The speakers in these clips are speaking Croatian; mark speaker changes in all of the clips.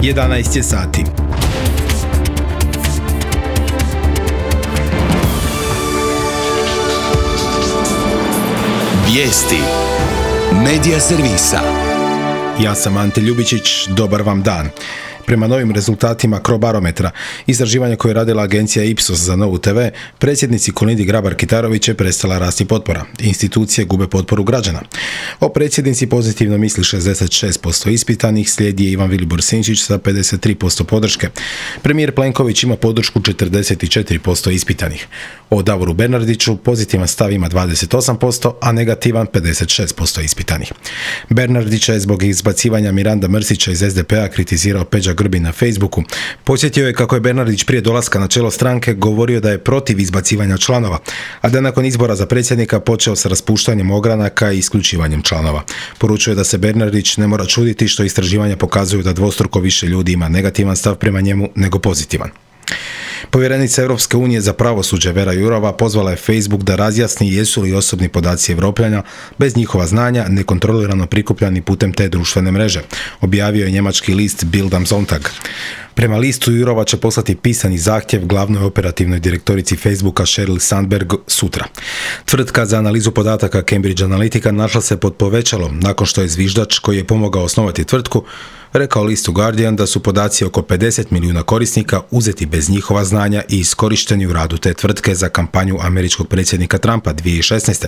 Speaker 1: 11 je sati.
Speaker 2: Vijesti Medija servisa.
Speaker 1: Ja sam Ante Ljubičić, dobar vam dan. Prema novim rezultatima Crobarometra, istraživanja koje je radila agencija Ipsos za Novu TV, predsjednici Kolindi Grabar-Kitarović je prestala rasti potpora. Institucije gube potporu građana. O predsjednici pozitivno misli 66% ispitanih, slijedi je Ivan Vilibor Sinčić sa 53% podrške. Premijer Plenković ima podršku 44% ispitanih. O Davoru Bernardiću pozitivan stav ima 28%, a negativan 56% ispitanih. Bernardića je zbog izbacivanja Miranda Mrsića iz SDP-a kritizirao Peđa Grbin na Facebooku. Podsjetio je kako je Bernardić prije dolaska na čelo stranke govorio da je protiv izbacivanja članova, a da nakon izbora za predsjednika počeo sa raspuštanjem ogranaka i isključivanjem članova. Poručuje da se Bernardić ne mora čuditi što istraživanja pokazuju da dvostruko više ljudi ima negativan stav prema njemu nego pozitivan. Povjerenica Europske unije za pravosuđe Vera Jourova pozvala je Facebook da razjasni jesu li osobni podaci Europljana bez njihova znanja nekontrolirano prikupljani putem te društvene mreže, objavio je njemački list Bild am Sonntag. Prema listu Jourova će poslati pisani zahtjev glavnoj operativnoj direktorici Facebooka Sheryl Sandberg sutra. Tvrtka za analizu podataka Cambridge Analytica našla se pod povećalom nakon što je zviždač koji je pomogao osnovati tvrtku rekao listu Guardian da su podaci oko 50 milijuna korisnika uzeti bez njihova znanja i iskorišteni u radu te tvrtke za kampanju američkog predsjednika Trumpa 2016.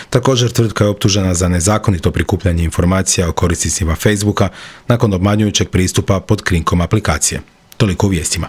Speaker 1: Također tvrtka je optužena za nezakonito prikupljanje informacija o korisnicima Facebooka nakon obmanjujućeg pristupa pod krinkom aplikacije. Toliko u vijestima.